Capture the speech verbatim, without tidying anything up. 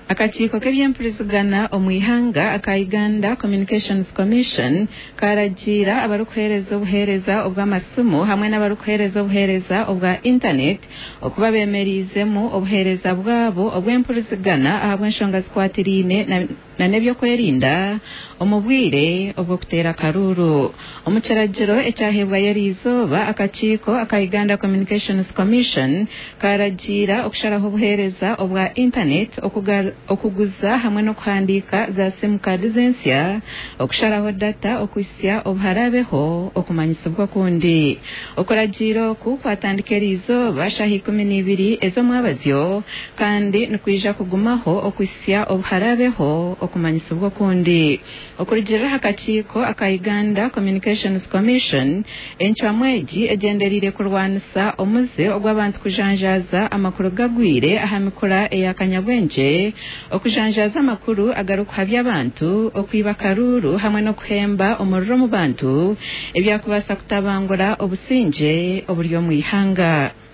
Akakiiko k'ebyempurizigana omu ihanga aka Uganda Communications Commission karagiira abarikuheereza obuheereza obw'amasimu hamwe n'abarikuheereza obuheereza obwa intanet okuba bemereizemu obuheereza bwabo obw'empurizigana ahabw'enshonga zikwatiraine na n'ebyokwerinda omu bwire obw'okuteera akaruuru. Omu kiragiro ekyaheebwayo eriizooba, akakiiko aka Uganda Communications Commission karagiira okusharaho obuheereza obwa intanet, okuguza hamwe n'okuhandiika za simu kaadi z'ensya, okusharaho data okuhitsya obu haraabeho okumanyisibwa okundi. Okuragiira oku kwatandika eriizooba shaaha ikumi n'ibiri ez'omwabazyo kandi nikwija kugumaho okuhitsya obu haraabeho okumanyisibwa okundi. Okurugiirira aha kakiiko aka Uganda Communications Commission, encwamu egi egyendereire kurwanisa omuze ogw'abantu kujanjaaza amakuru gagwire aha mikura eya kanyabwengye, okujanjaaza amakuru agarikuhabya abantu, okwiba akaruuru hamwe n'okuhemba omuriro omu bantu ebyakubaasa kutabangura obusingye oburi omu ihanga.